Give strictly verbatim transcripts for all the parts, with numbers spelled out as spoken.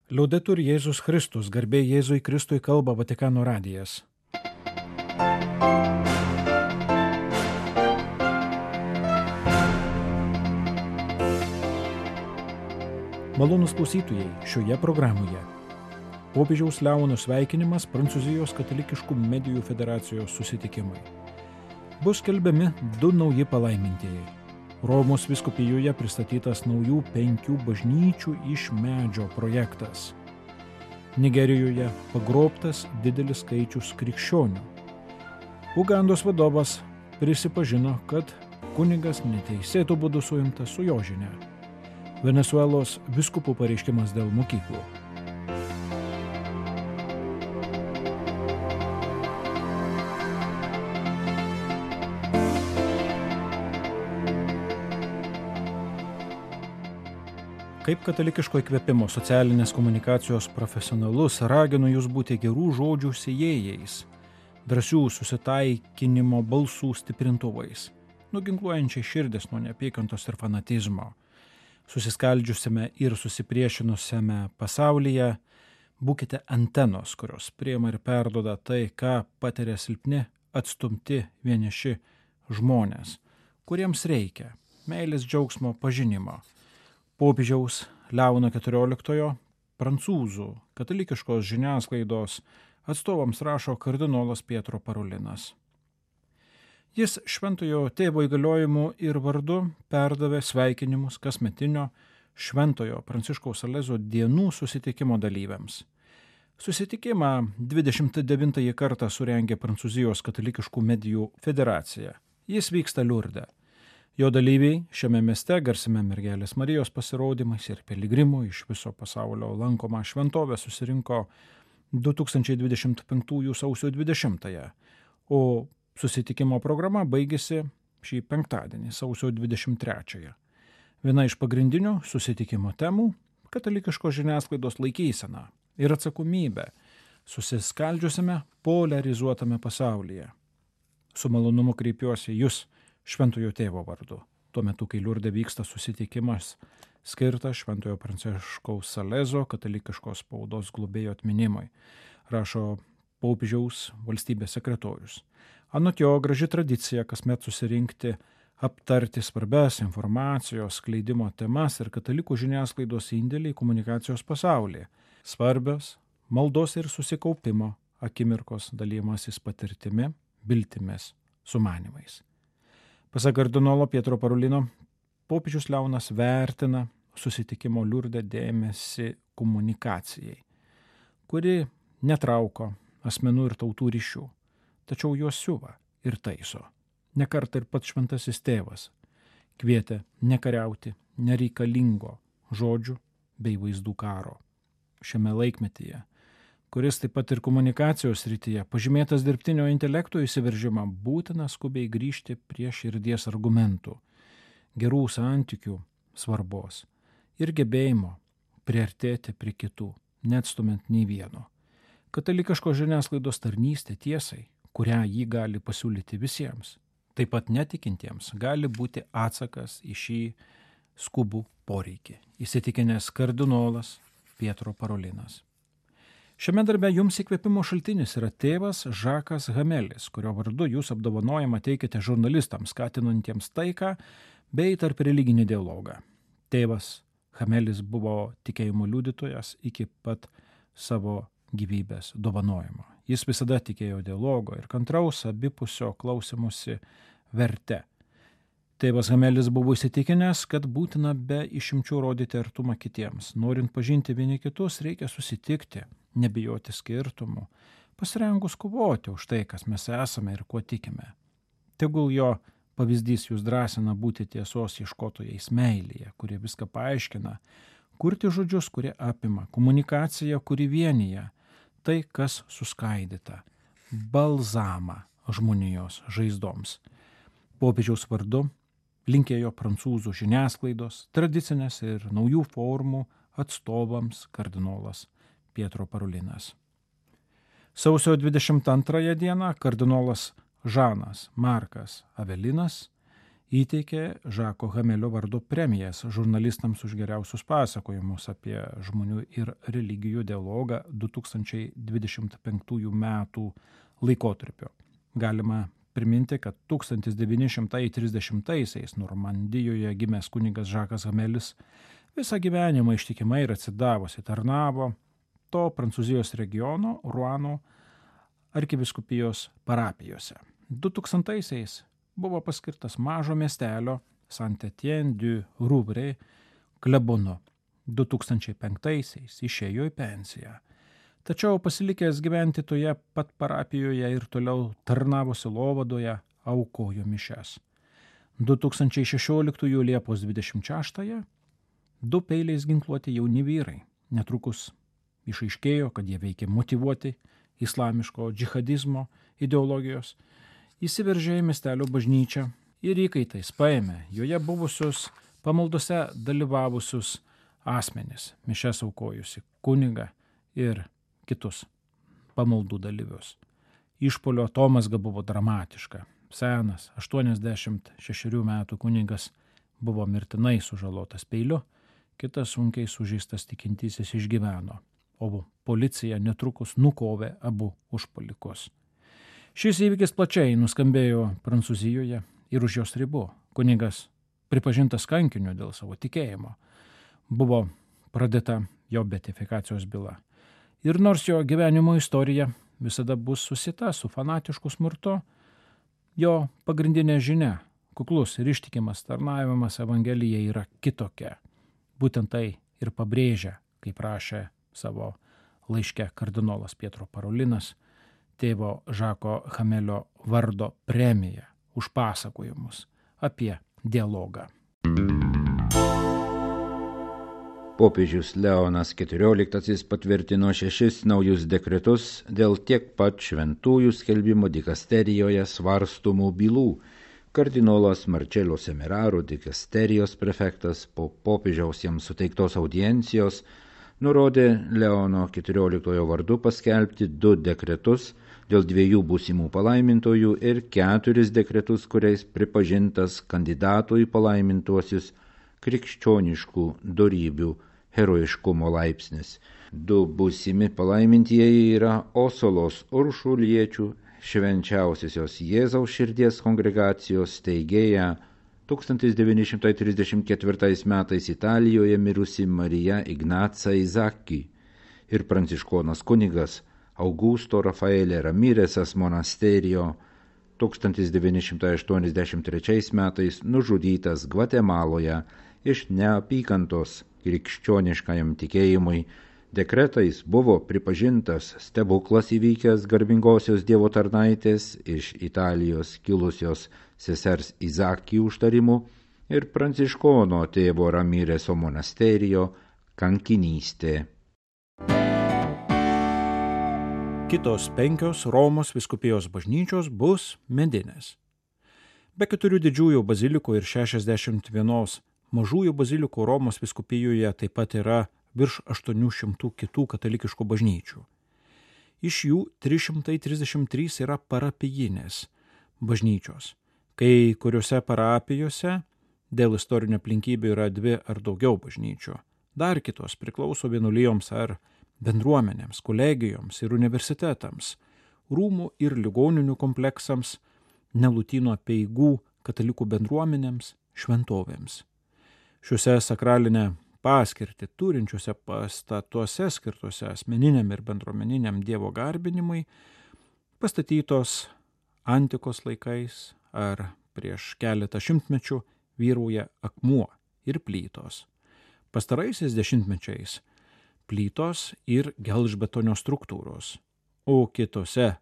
Liaudetur Jėzus Kristus, garbė Jėzui Kristui, kalba Vatikano radijas. Malonūs klausytojai, šioje programoje popiežiaus Leono sveikinimas Prancūzijos katalikiškų medijų federacijos susitikimai. Bus skelbiami du nauji palaimintieji. Romos vyskupijoje pristatytas naujų penkių bažnyčių iš medžio projektas. Nigerijoje pagrobtas didelis skaičius krikščionių. Ugandos vadovas prisipažino, kad kunigas neteisėtų būdu suimtas su jo žinia. Venesuelos vyskupų pareiškimas dėl mokyklų. Kaip katalikiško įkvėpimo socialinės komunikacijos profesionalus raginu jūs būti gerų žodžių sėjėjais, drąsių susitaikinimo balsų stiprintuvais, nuginkluojančiai širdis nuo neapykantos ir fanatizmo. Susiskaldžiusiame ir susipriešinusiame pasaulyje būkite antenos, kurios priima ir perduoda tai, ką patiria silpni, atstumti, vieniši žmonės, kuriems reikia meilės džiaugsmo pažinimo. Popiežiaus Leono keturioliktojo prancūzų katalikiškos žiniasklaidos atstovams rašo kardinolas Pietro Parolinas. Jis šventojo tėvo įgaliojimu ir vardu perdavė sveikinimus kasmetinio šventojo Pranciškaus Salezo dienų susitikimo dalyviams. Susitikimą dvidešimt devintąjį kartą surengė Prancūzijos katalikiškų medijų federacija. Jis vyksta Liurde. Jo dalyviai šiame mieste garsime mergelės Marijos pasirodymais ir piligrimų iš viso pasaulio lankomą šventovę susirinko du tūkstančiai dvidešimt penktųjų sausio dvidešimtąją, o susitikimo programa baigėsi šį penktadienį, sausio dvidešimt trečiąją. Viena iš pagrindinių susitikimo temų – katalikiškos žiniasklaidos laikysena ir atsakomybė susiskaldžiusiame poliarizuotame pasaulyje. Su malonumu kreipiuosi jūs šventojo tėvo vardu. Tuo metu, kai Liurde vyksta susitikimas skirtas šventojo Pranciškaus Salezo katalikiškos spaudos globėjo atminimui, rašo popiežiaus valstybės sekretorius. Anot jo, graži tradicija kasmet susirinkti, aptarti svarbias informacijos skleidimo temas ir katalikų žiniasklaidos indėlį į komunikacijos pasaulį. Svarbios maldos ir susikaupimo akimirkos dalymasis patirtimi, viltimis, sumanimais. Pasak kardinolo Pietro Parolino, popiežius Leonas vertina susitikimo Liurde dėmesį komunikacijai, kuri netrauko asmenų ir tautų ryšių, tačiau juos siuva ir taiso. Nekartą ir pats šventasis tėvas kvietė nekariauti nereikalingo žodžių bei vaizdų karo. Šiame laikmetyje, kuris taip pat ir komunikacijos srityje pažymėtas dirbtinio intelekto įsiveržimą, būtina skubiai grįžti prie širdies argumentų, gerų santykių svarbos ir gebėjimo priartėti prie kitų, neatstumant nei vieno. Katalikiškos žiniasklaidos tarnystė tiesai, kurią jį gali pasiūlyti visiems, taip pat netikintiems, gali būti atsakas į šį skubų poreikį, įsitikinęs kardinolas Pietro Parolinas. Šiame darbe jums įkvėpimo šaltinis yra tėvas Žakas Hamelis, kurio vardu jūs apdovanojimą teikite žurnalistams, skatinantiems taiką bei tarp religinį dialogą. Tėvas Hamelis buvo tikėjimo liudytojas iki pat savo gyvybės dovanojimo. Jis visada tikėjo dialogo ir kantraus abipusio klausimusi verte. Tėvas Hamelis buvo įsitikinęs, kad būtina be išimčių rodyti artumą kitiems. Norint pažinti vieni kitus, reikia susitikti, nebijoti skirtumų, pasirengus kovoti už tai, kas mes esame ir kuo tikime. Tegul jo pavyzdys jūs drąsina būti tiesos ieškotojais meilėje, kurie viską paaiškina, kurti žodžius, kurie apima, komunikaciją, kuri vienyje, tai, kas suskaidyta, balzamą žmonijos žaizdoms. Popiežiaus vardu linkėjo prancūzų žiniasklaidos, tradicinės ir naujų formų atstovams kardinolas Pietro Parolinas. Sausio dvidešimt antrąją dieną kardinolas Žanas Markas Avelinas įteikė Žako Hamelio vardo premijas žurnalistams už geriausius pasakojimus apie žmonių ir religijų dialogą du tūkstančiai dvidešimt penktųjų metų laikotarpio. Galima priminti, kad tūkstantis devyni šimtai trisdešimtaisiais Normandijoje gimęs kunigas Žakas Hamelis visą gyvenimą ištikimai ir atsidavusi tarnavo to Prancūzijos regiono Ruano arkivyskupijos parapijose. du tūkstantaisiais buvo paskirtas mažo miestelio Saint-Étienne-du-Rouvray klebonu. du tūkstančiai penktaisiais išėjo į pensiją. Tačiau pasilikęs gyventi toje pat parapijoje ir toliau tarnavo sielovadoje, aukojo mišias. du tūkstančiai šešioliktųjų Liepos dvidešimt šeštąją du peiliais ginkluoti jauni vyrai. Netrukus išaiškėjo, kad jie veikė motyvuoti islamiško džihadizmo ideologijos, įsiveržė į miestelio bažnyčią ir įkaitais paėmė joje buvusius pamaldose dalyvavusius asmenis, mišias aukojusi kunigą ir kitus pamaldų dalyvius. Išpolio atomazga buvo dramatiška. Senas, aštuoniasdešimt šešerių metų kunigas buvo mirtinai sužalotas peiliu, kitas sunkiai sužeistas tikintysis išgyveno, o policija netrukus nukovė abu užpuolikus. Šis įvykis plačiai nuskambėjo Prancūzijoje ir už jos ribų. Kunigas pripažintas kankiniu dėl savo tikėjimo. Buvo pradėta jo beatifikacijos byla. Ir nors jo gyvenimo istorija visada bus susita su fanatišku smurtu, jo pagrindinė žinia, kuklus ir ištikimas tarnavimas Evangelijai yra kitokia. Būtent tai ir pabrėžia, kaip rašė savo laiške kardinolas Pietro Parolinas, tėvo Žako Hamelio vardo premiją už pasakojimus apie dialogą. Popiežius Leonas keturioliktasis patvirtino šešis naujus dekretus dėl tiek pat šventųjų skelbimo dikasterijoje svarstomų bylų. Kardinolas Marcello Semeraro, dikasterijos prefektas, po popiežiaus jam suteiktos audiencijos nurodė Leono keturioliktojo vardu paskelbti du dekretus dėl dviejų būsimų palaimintojų ir keturis dekretus, kuriais pripažintas kandidatų į palaimintuosius krikščioniškų dorybių herojiškumo laipsnis. Du būsimi palaimintieji yra Osolos Uršuliečių švenčiausiosios Jėzaus širdies kongregacijos steigėja tūkstantis devyni šimtai trisdešimt ketvirtais metais Italijoje mirusi Marija Ignaca Izaki ir pranciškonas kunigas Augusto Rafaelė Ramirezas monasterijo tūkstantis devyni šimtai aštuoniasdešimt trečiais metais nužudytas Gvatemaloje iš neapykantos krikščioniškajam tikėjimui. Dekretais buvo pripažintas stebuklas įvykęs garbingosios Dievo tarnaitės iš Italijos kilusios sesers Izaki užtarimu ir pranciškono tėvo Ramireso monasterijo kankinystė. Kitos penkios Romos vyskupijos bažnyčios bus medinės. Be keturių didžiųjų bazilikų ir šešiasdešimt vienos mažųjų bazilikų Romos vyskupijoje taip pat yra virš aštuonių šimtų kitų katalikiškų bažnyčių. Iš jų trys šimtai trisdešimt trys yra parapijinės bažnyčios. Kai kuriuose parapijose dėl istorinių aplinkybių yra dvi ar daugiau bažnyčių. Dar kitos priklauso vienuolijoms ar bendruomenėms, kolegijoms ir universitetams, rūmų ir ligoninių kompleksams, Nelutyno apeigų katalikų bendruomenėms, šventovėms. Šiuose sakralinę paskirtį turinčiuose pastatuose skirtuose asmeniniam ir bendruomeniniam Dievo garbinimui pastatytos antikos laikais ar prieš keletą šimtmečių vyrauja akmuo ir plytos. Pastaraisiais dešimtmečiais plytos ir gelžbetonio struktūros, o kitose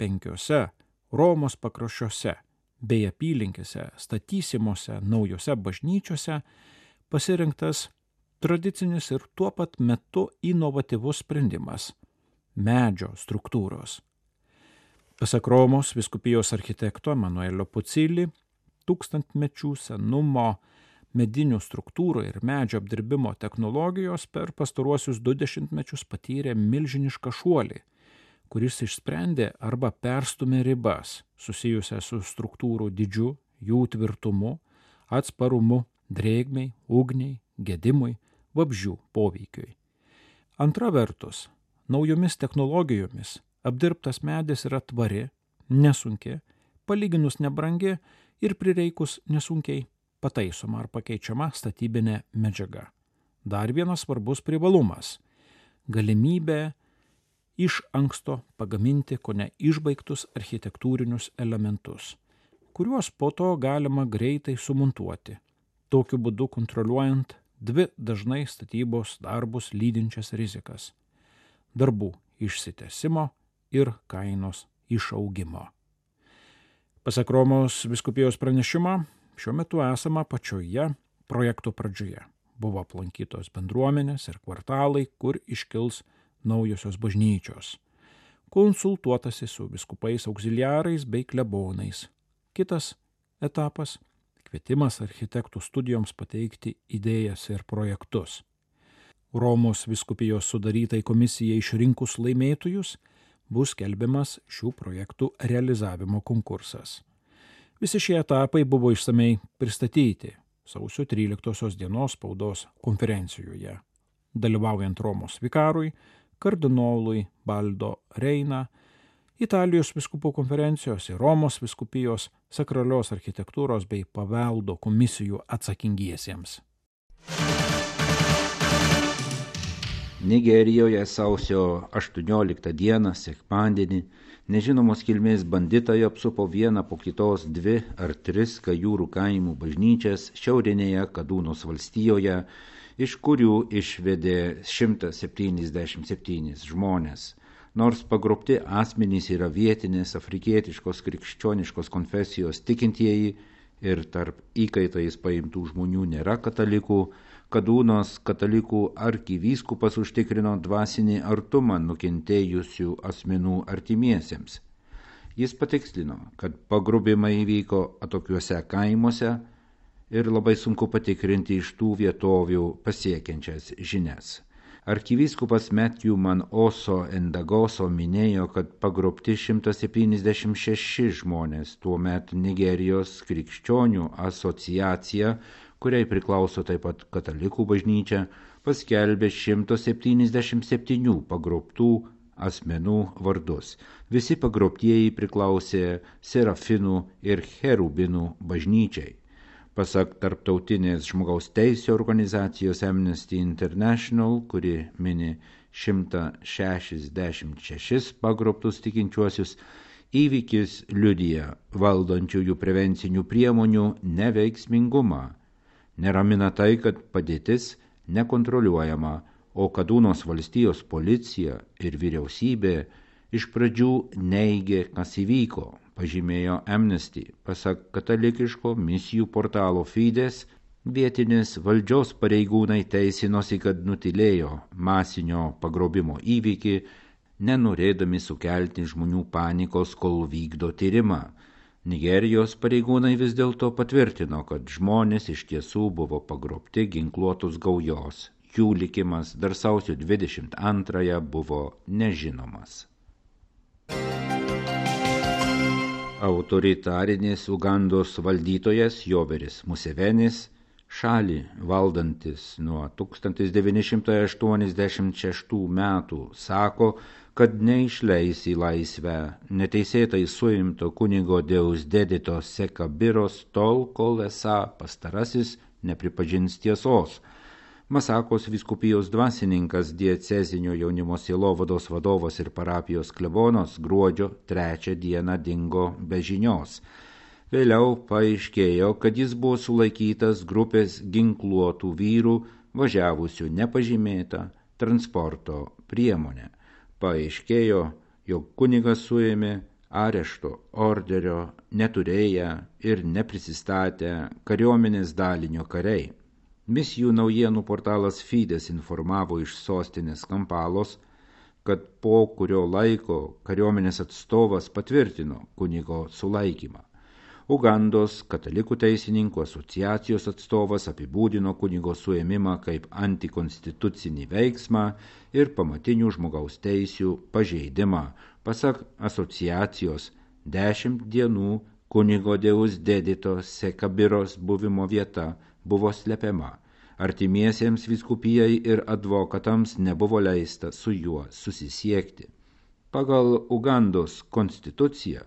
penkiose Romos pakraščiuose bei apylinkėse statysimose naujose bažnyčiose pasirinktas tradicinis ir tuo pat metu inovatyvus sprendimas – medžio struktūros. Pasak Romos vyskupijos architekto Emanuelio Pucili, tūkstantmečių senumo medinių struktūrų ir medžio apdirbimo technologijos per pastaruosius du dešimtmečius patyrė milžinišką šuolį, kuris išsprendė arba perstumė ribas susijusią su struktūrų dydžiu, jų tvirtumu, atsparumu drėgmei, ugniai, gedimui, vabzdžių poveikiui. Antra vertus, naujomis technologijomis apdirbtas medis yra tvari, nesunki, palyginus nebrangi ir prireikus nesunkiai pataisoma ar pakeičiama statybinė medžiaga. Dar vienas svarbus privalumas – galimybė iš anksto pagaminti kone išbaigtus architektūrinius elementus, kuriuos po to galima greitai sumontuoti, tokiu būdu kontroliuojant dvi dažnai statybos darbus lydinčias rizikas – darbų išsitęsimo ir kainos išaugimo. Pasak Romos vyskupijos pranešimo, šiuo metu esama pačioje projekto pradžioje. Buvo aplankytos bendruomenės ir kvartalai, kur iškils naujosios bažnyčios. Konsultuotasi su vyskupais auxiliarais bei klebonais. Kitas etapas – kvietimas architektų studijoms pateikti idėjas ir projektus. Romos vyskupijos sudarytai komisijai išrinkus laimėtojus bus skelbiamas šių projektų realizavimo konkursas. Visi šie etapai buvo išsamei pristatyti sausio tryliktosios dienos spaudos konferencijoje, dalyvaujant Romos vikarui, kardinolui Baldo Reina, Italijos vyskupų konferencijos ir Romos vyskupijos sakralios architektūros bei paveldo komisijų atsakingiesiems. Nigerijoje sausio aštuonioliktą dieną, sekmadienį, nežinomos kilmės banditai apsupo vieną po kitos dvi ar tris Kajūrų kaimų bažnyčias šiaurinėje Kadūnos valstijoje, iš kurių išvedė šimtas septyniasdešimt septynis žmonės. Nors pagrobti asmenys yra vietinės afrikietiškos krikščioniškos konfesijos tikintieji ir tarp įkaitais paimtų žmonių nėra katalikų, Kadūnos katalikų arkivyskupas užtikrino dvasinį artumą nukentėjusių asmenų artimiesiems. Jis patikslino, kad pagrobimai įvyko atokiuose kaimuose ir labai sunku patikrinti iš tų vietovių pasiekiančias žinias. Arkivyskupas Matthew Manoso Endagoso minėjo, kad pagrobti šimtas septyniasdešimt šeši žmonės, tuomet Nigerijos krikščionių asociacija, kuriai priklauso taip pat katalikų bažnyčia, paskelbė šimtas septyniasdešimt septynių pagrobtų asmenų vardus. Visi pagrobtieji priklausė Serafinų ir Cherubinų bažnyčiai. Pasak tarptautinės žmogaus teisių organizacijos Amnesty International, kuri mini šimtas šešiasdešimt šešis pagrobtus tikinčiuosius, įvykis liudija valdančiųjų prevencinių priemonių neveiksmingumą. Neramina tai, kad padėtis nekontroliuojama, o Kadūnos valstijos policija ir vyriausybė iš pradžių neigė, kas įvyko, pažymėjo Amnesty. Pasak katalikiško misijų portalo Fides, vietinės valdžios pareigūnai teisinosi, kad nutilėjo masinio pagrobimo įvykį, nenorėdami sukelti žmonių panikos, kol vykdo tyrimą. Nigerijos pareigūnai vis dėlto patvirtino, kad žmonės iš tiesų buvo pagrobti ginkluotos gaujos. Jų likimas dar sausio dvidešimt antrąją buvo nežinomas. Autoritarinės Ugandos valdytojas Joveris Musevenis, šalį valdantis nuo tūkstantis devyni šimtai aštuoniasdešimt šeštų metų, sako, kad neišleis į laisvę neteisėtai suimto kunigo Deusdedito Sekabiros tol, kol esą pastarasis nepripažins tiesos. Masakos vyskupijos dvasininkas, diecezinio jaunimo sielovados vadovas ir parapijos klebonas gruodžio trečią dieną dingo be žinios. Vėliau paaiškėjo, kad jis buvo sulaikytas grupės ginkluotų vyrų važiavusių nepažymėtą transporto priemonę. Paaiškėjo, jog kunigas suėmė arešto orderio neturėję ir neprisistatę kariuomenės dalinio kariai. Misijų naujienų portalas Fides informavo iš sostinės Kampalos, kad po kurio laiko kariuomenės atstovas patvirtino kunigo sulaikymą. Ugandos katalikų teisininkų asociacijos atstovas apibūdino kunigo suėmimą kaip antikonstitucinį veiksmą ir pamatinių žmogaus teisių pažeidimą. Pasak asociacijos, dešimt dienų kunigo Deus Dedito Sekabiros buvimo vieta buvo slepiama. Artimiesiems vyskupijai ir advokatams nebuvo leista su juo susisiekti. Pagal Ugandos konstituciją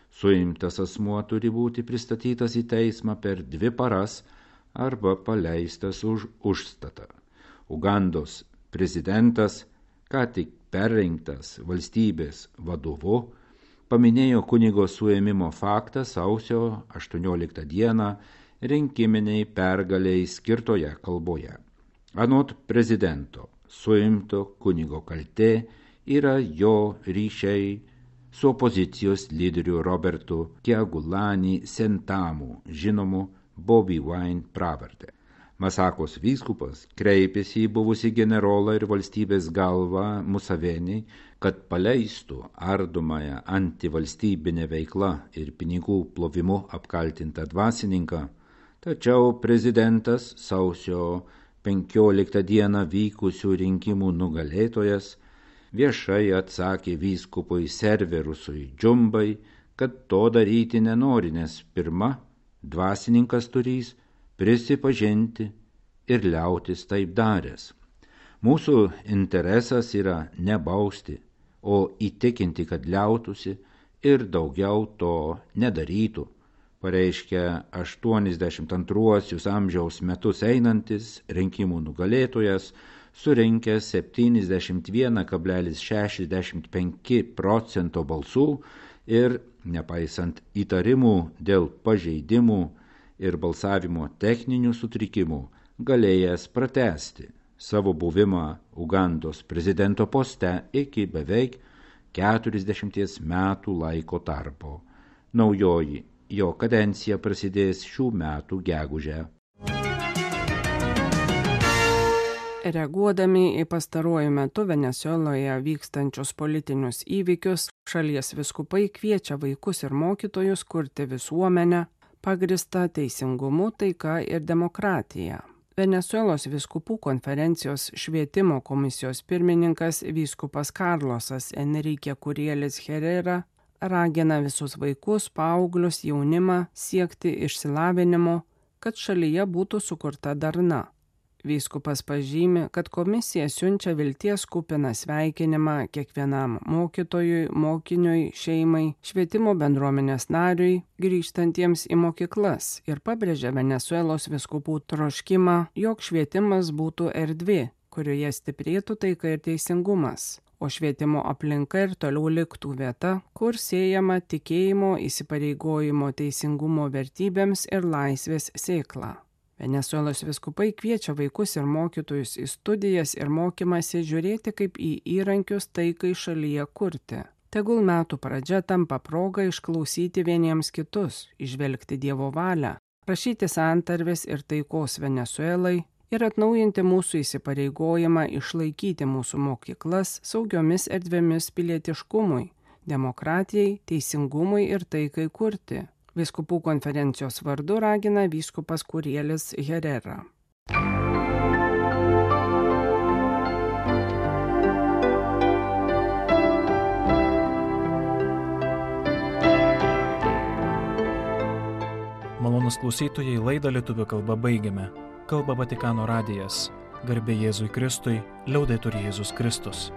suimtas asmuo turi būti pristatytas į teismą per dvi paras arba paleistas už užstatą. Ugandos prezidentas, ką tik perrinktas valstybės vadovu, paminėjo kunigo suėmimo faktą sausio aštuonioliktą dieną rinkiminiai pergaliai skirtoje kalboje. Anot prezidento, suimto kunigo kaltė yra jo ryšiai su opozicijos lyderiu Robertu Kyagulanyi Sentamu, žinomu Bobi Wine pravarde. Masakos vyskupas kreipėsi į buvusį generolą ir valstybės galvą Museveni, kad paleistų ardomąją antivalstybinę veiklą ir pinigų plovimu apkaltintą dvasininką, tačiau prezidentas sausio penkioliktą dieną vykusių rinkimų nugalėtojas viešai atsakė vyskupui Serverusui Džumbai, kad to daryti nenori, nes pirma, dvasininkas turys prisipažinti ir liautis taip daręs. Mūsų interesas yra ne bausti, o įtikinti, kad liautųsi ir daugiau to nedarytų, pareiškia aštuoniasdešimt antruosius amžiaus metus einantis rinkimų nugalėtojas, surinkęs septyniasdešimt vienas kablelis šešiasdešimt penki procento balsų ir, nepaisant įtarimų dėl pažeidimų ir balsavimo techninių sutrikimų, galėjęs pratęsti savo buvimą Ugandos prezidento poste iki beveik keturiasdešimties metų laiko tarpo. Naujoji jo kadencija prasidės šių metų gegužę. Reaguodami į pastaruoju metu Venesueloje vykstančius politinius įvykius, šalies vyskupai kviečia vaikus ir mokytojus kurti visuomenę, pagrįstą teisingumu, taika ir demokratija. Venesuelos vyskupų konferencijos švietimo komisijos pirmininkas vyskupas Karlosas Enrique Kurielis Herrera ragina visus vaikus, paauglius, jaunimą siekti išsilavinimo, kad šalyje būtų sukurta darna. Vyskupas pažymi, kad komisija siunčia vilties kupiną sveikinimą kiekvienam mokytojui, mokiniui, šeimai, švietimo bendruomenės nariui, grįžtantiems į mokyklas ir pabrėžia Venesuelos vyskupų troškimą, jog švietimas būtų erdvė, kurioje stiprėtų taika ir teisingumas, o švietimo aplinka ir toliau liktų vieta, kur siejama tikėjimo, įsipareigojimo teisingumo vertybėms ir laisvės sėkla. Venesuelos vyskupai kviečia vaikus ir mokytojus į studijas ir mokymąsi žiūrėti kaip į įrankius taikai šalyje kurti. Tegul metų pradžia tampa proga išklausyti vieniems kitus, įžvelgti Dievo valią, prašyti santarvės ir taikos Venesuelai ir atnaujinti mūsų įsipareigojimą išlaikyti mūsų mokyklas saugiomis erdvėmis pilietiškumui, demokratijai, teisingumui ir taikai kurti. Vyskupų konferencijos vardu ragina vyskupas Kurielis Herrera. Malonūs klausytojai, laidą lietuvių kalba baigiame. Kalba Vatikano radijas. Garbė Jėzui Kristui, liaudetur Jėzus Kristus.